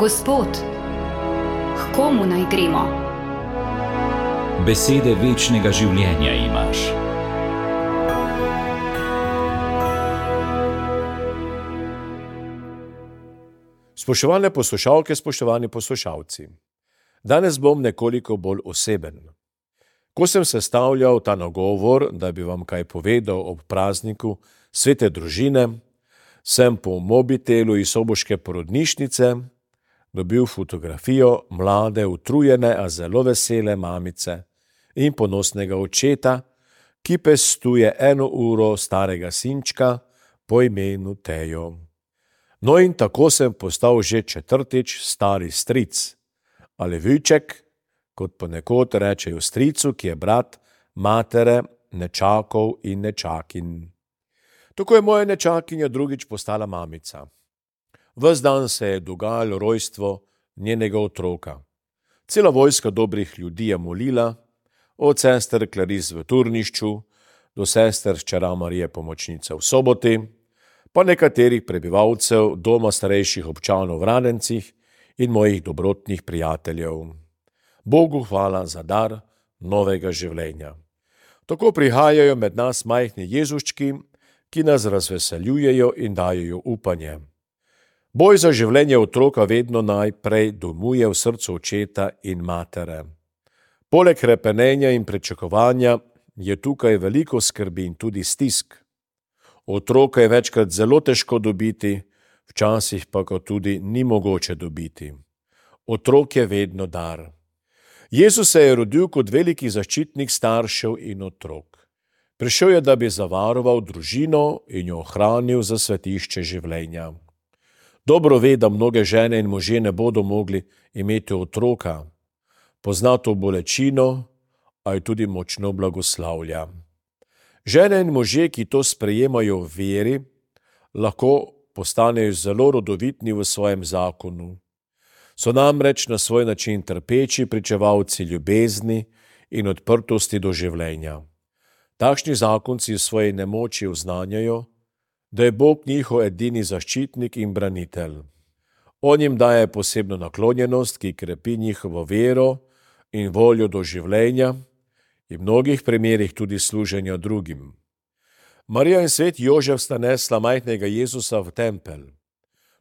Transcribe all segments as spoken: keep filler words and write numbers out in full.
Gospod, k komu naj gremo? Besede večnega življenja imaš. Spoštovane poslušalke, spoštovani poslušalci, danes bom nekoliko bolj oseben. Ko sem sestavljal ta nagovor, da bi vam kaj povedal ob prazniku svete družine, sem po mobitelu iz soboške porodnišnice dobil fotografijo mlade, utrujene, a zelo vesele mamice in ponosnega očeta, ki pestuje eno uro starega sinčka po imenu Tejo. No in tako sem postal že četrtič stari stric, ali vujček, kot ponekod rečejo stricu, ki je brat matere, nečakov in nečakinj. Tako je moja nečakinja drugič postala mamica. Ves dan se je dogajalo rojstvo njenega otroka. Cela vojska dobrih ljudi je molila, od sester Claris v Turnišču do sester hčera Marije Pomočnice v Soboti, pa nekaterih prebivalcev doma starejših občanov v Radencih in mojih dobrotnih prijateljev. Bogu hvala za dar novega življenja. Tako prihajajo med nas majhni Jezuščki, ki nas razveseljujejo in dajejo upanje. Boj za življenje otroka vedno najprej domuje v srcu očeta in matere. Poleg hrepenenja in pričakovanja je tukaj veliko skrbi in tudi stisk. Otroka je večkrat zelo težko dobiti, včasih pa ga tudi ni mogoče dobiti. Otrok je vedno dar. Jezus se je rodil kot veliki zaščitnik staršev in otrok. Prišel je, da bi zavaroval družino in jo ohranil za svetišče življenja. Dobro ve, da mnoge žene in možje ne bodo mogli imeti otroka. Pozna to bolečino, a jo tudi močno blagoslavlja. Žene in možje, ki to sprejemajo v veri, lahko postanejo zelo rodovitni v svojem zakonu. So namreč na svoj način trpeči pričevalci ljubezni in odprtosti do življenja. Takšni zakonci v svoji nemoči oznanjajo, da je Bog njihov edini zaščitnik in branitelj. On jim daje posebno naklonjenost, ki krepi njihovo vero in voljo do življenja in v mnogih primerih tudi služenja drugim. Marija in svet Jožef sta nesla majhnega Jezusa v tempelj.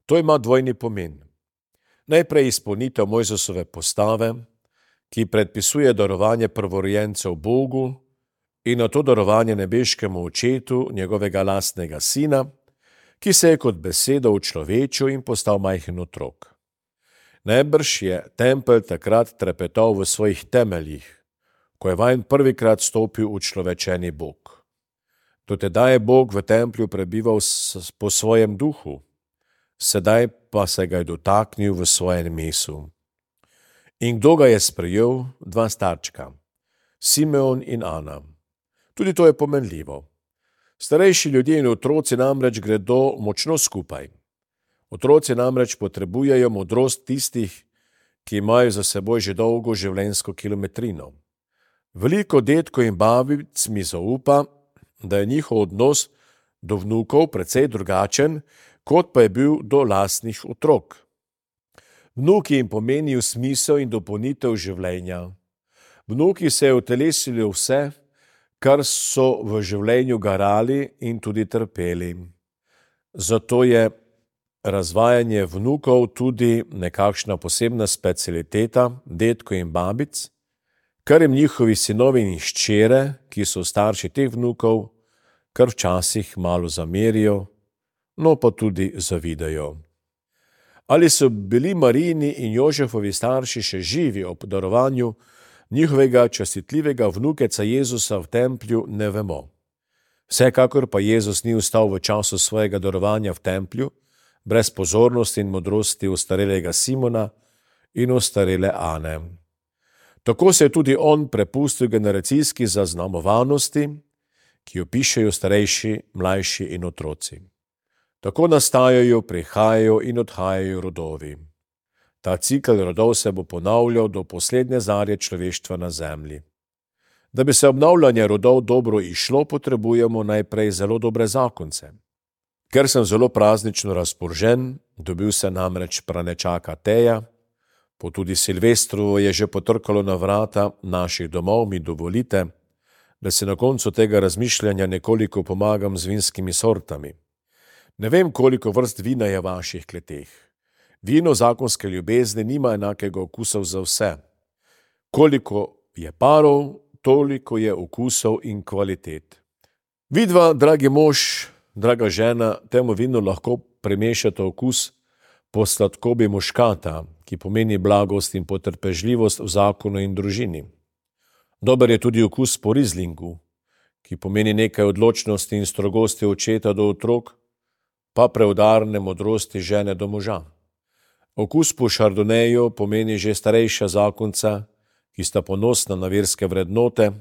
To ima dvojni pomen. Najprej izpolnitev Mojzesove postave, ki predpisuje darovanje prvorojencev Bogu in na to darovanje nebeškemu očetu njegovega lastnega sina, ki se je kot beseda učlovečil in postal majhen otrok. Najbrž je tempelj takrat trepetal v svojih temeljih, ko je vanj prvikrat stopil učlovečeni Bog. Do tedaj je Bog v templju prebival po svojem duhu, sedaj pa se ga je dotaknil v svojem mesu. In kdo ga je sprejel? Dva starčka, Simeon in Ana. Tudi to je pomenljivo. Starejši ljudje in otroci namreč gredo močno skupaj. Otroci namreč potrebujejo modrost tistih, ki imajo za seboj že dolgo življenjsko kilometrino. Veliko dedkov in babic mi zaupa, da je njihov odnos do vnukov precej drugačen, kot pa je bil do lastnih otrok. Vnuki jim pomenijo smisel in dopolnitev življenja. Vnuki se je utelesili vse, kar so v življenju garali in tudi trpeli. Zato je razvajanje vnukov tudi nekakšna posebna specialiteta dedkov in babic, kar jim njihovi sinovi in hčere, ki so starši teh vnukov, kar včasih malo zamerijo, no pa tudi zavidajo. Ali so bili Marijini in Jožefovi starši še živi ob darovanju njihovega častitljivega vnukeca Jezusa v templju, ne vemo. Vsekakor pa Jezus ni ostal v času svojega darovanja v templju, brez pozornosti in modrosti ostarelega Simona in ostarele Ane. Tako se je tudi on prepustil generacijski zaznamovanosti, ki jo pišejo starejši, mlajši in otroci. Tako nastajajo, prihajajo in odhajajo rodovi. Ta cikel rodov se bo ponavljal do poslednje zarje človeštva na zemlji. Da bi se obnavljanje rodov dobro izšlo, potrebujemo najprej zelo dobre zakonce. Ker sem zelo praznično razpoložen, Dobil se namreč pranečaka Teja, po tudi Silvestru je že potrkalo na vrata naših domov, mi dovolite, da se na koncu tega razmišljanja nekoliko pomagam z vinskimi sortami. Ne vem, koliko vrst vina je v vaših kleteh. Vino zakonske ljubezni nima enakega okusa za vse. Koliko je parov, toliko je okusov in kvalitet. Vidva, dragi mož, draga žena, temu vinu lahko premešata okus po sladkobi muškata, ki pomeni blagost in potrpežljivost v zakonu in družini. Dober je tudi okus po rizlingu, ki pomeni nekaj odločnosti in strogosti očeta do otrok, pa preudarne modrosti žene do moža. Okus po šardoneju pomeni že starejša zakonca, ki sta ponosna na verske vrednote,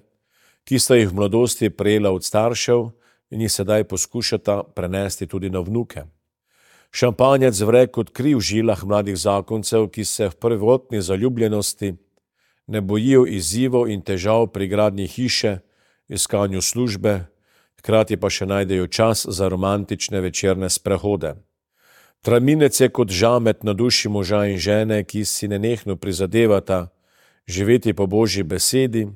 ki sta jih v mladosti prejela od staršev in jih sedaj poskušata prenesti tudi na vnuke. Šampanjec vre kot kri v žilah mladih zakoncev, ki se v prvotni zaljubljenosti ne bojijo izzivov in težav pri gradnji hiše, iskanju službe, hkrati pa še najdejo čas za romantične večerne sprehode. Traminec je kot žamet na duši moža in žene, ki si nenehno prizadevata živeti po Božji besedi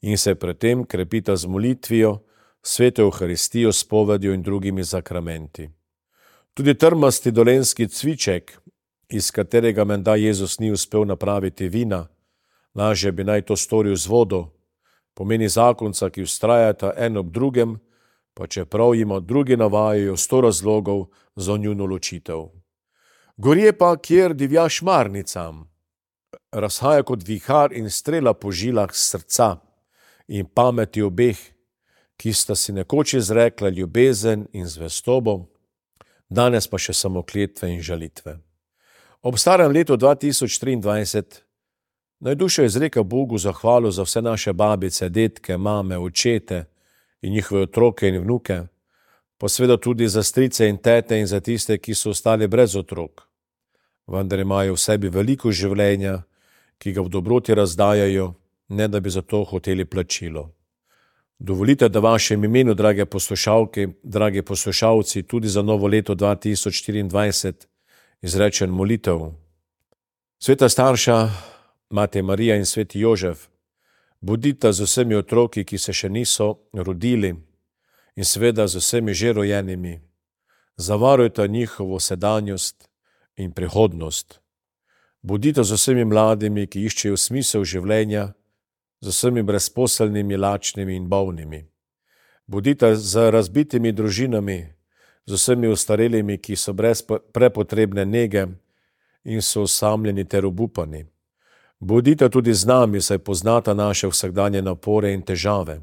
in se predtem krepita z molitvijo, sveto Evharistijo, spovedjo in drugimi zakramenti. Tudi trmasti dolenjski cviček, iz katerega menda Jezus ni uspel napraviti vina, lažje bi naj to storil z vodo, pomeni zakonca, ki vztrajata en ob drugem, pa čeprav jima drugi navajajo sto razlogov za njuno ločitev. Gorje pa, kjer divja šmarnicam, razhaja kot vihar in strela po žilah srca in pameti obeh, ki sta si nekoč izrekla ljubezen in zvestobo, danes pa še samo kletve in žalitve. Ob starem letu dva tisoč triindvajset naj duša izreka Bogu zahvalo za vse naše babice, detke, mame, očete in njihove otroke in vnuke, pa seveda tudi za strice in tete in za tiste, ki so ostali brez otrok. Vendar imajo v sebi veliko življenja, ki ga v dobroti razdajajo, ne da bi za to hoteli plačilo. Dovolite, da vašem imenu, drage poslušalke, dragi poslušalci, tudi za novo leto dva tisoč štiriindvajset izrečem molitev. Sveta starša, Mati Marija in sveti Jožef, bodita z vsemi otroki, ki se še niso rodili, in seveda z vsemi že rojenimi. Zavarujta njihovo sedanjost in prihodnost. Bodita z vsemi mladimi, ki iščejo smisel življenja, z vsemi brezposelnimi, lačnimi in bolnimi. Bodita z razbitimi družinami, z vsemi ostarelimi, ki so brez prepotrebne nege in so osamljeni ter obupani. Bodita tudi z nami, saj poznata naše vsakdanje napore in težave.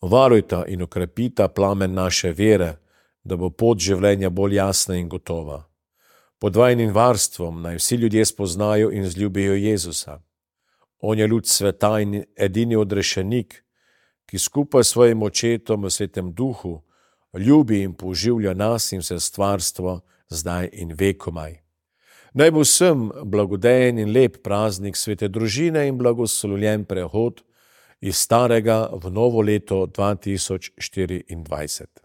Varujta in okrepita plamen naše vere, da bo pot življenja bolj jasna in gotova. Pod vajnim varstvom naj vsi ljudje spoznajo in zljubijo Jezusa. On je luč sveta in edini odrešenik, ki skupaj s svojim očetom v svetem duhu ljubi in poživlja nas in vse stvarstvo zdaj in vekomaj. Naj bo vsem blagodejen in lep praznik svete družine in blagoslovljen prehod iz starega v novo leto dva tisoč štiriindvajset.